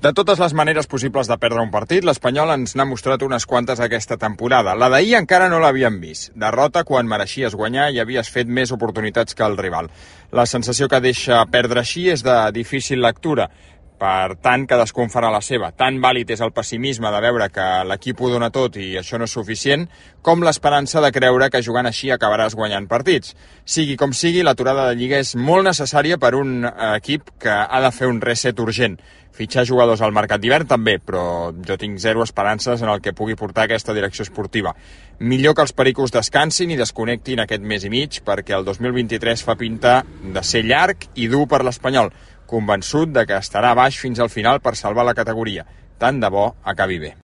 De totes les maneres possibles de perdre un partit, l'Espanyol ens n'ha mostrat unes quantes aquesta temporada. La d'ahir encara no l'havíem vist. Derrota quan mereixies guanyar i havies fet més oportunitats que el rival. La sensació que deixa perdre així és de difícil lectura. Per tant, cadascú en farà la seva. Tan vàlid és el pessimisme de veure que l'equip ho dona tot i això no és suficient, com l'esperança de creure que jugant així acabaràs guanyant partits. Sigui com sigui, l'aturada de Lliga és molt necessària per un equip que ha de fer un reset urgent. Fitxar jugadors al mercat d'hivern també, però jo tinc zero esperances en el que pugui portar aquesta direcció esportiva. Millor que els pericos descansin i desconnectin aquest mes i mig, perquè el 2023 fa pinta de ser llarg i dur per l'Espanyol, convençut de que estarà baix fins al final per salvar la categoria. Tant de bo acabi bé.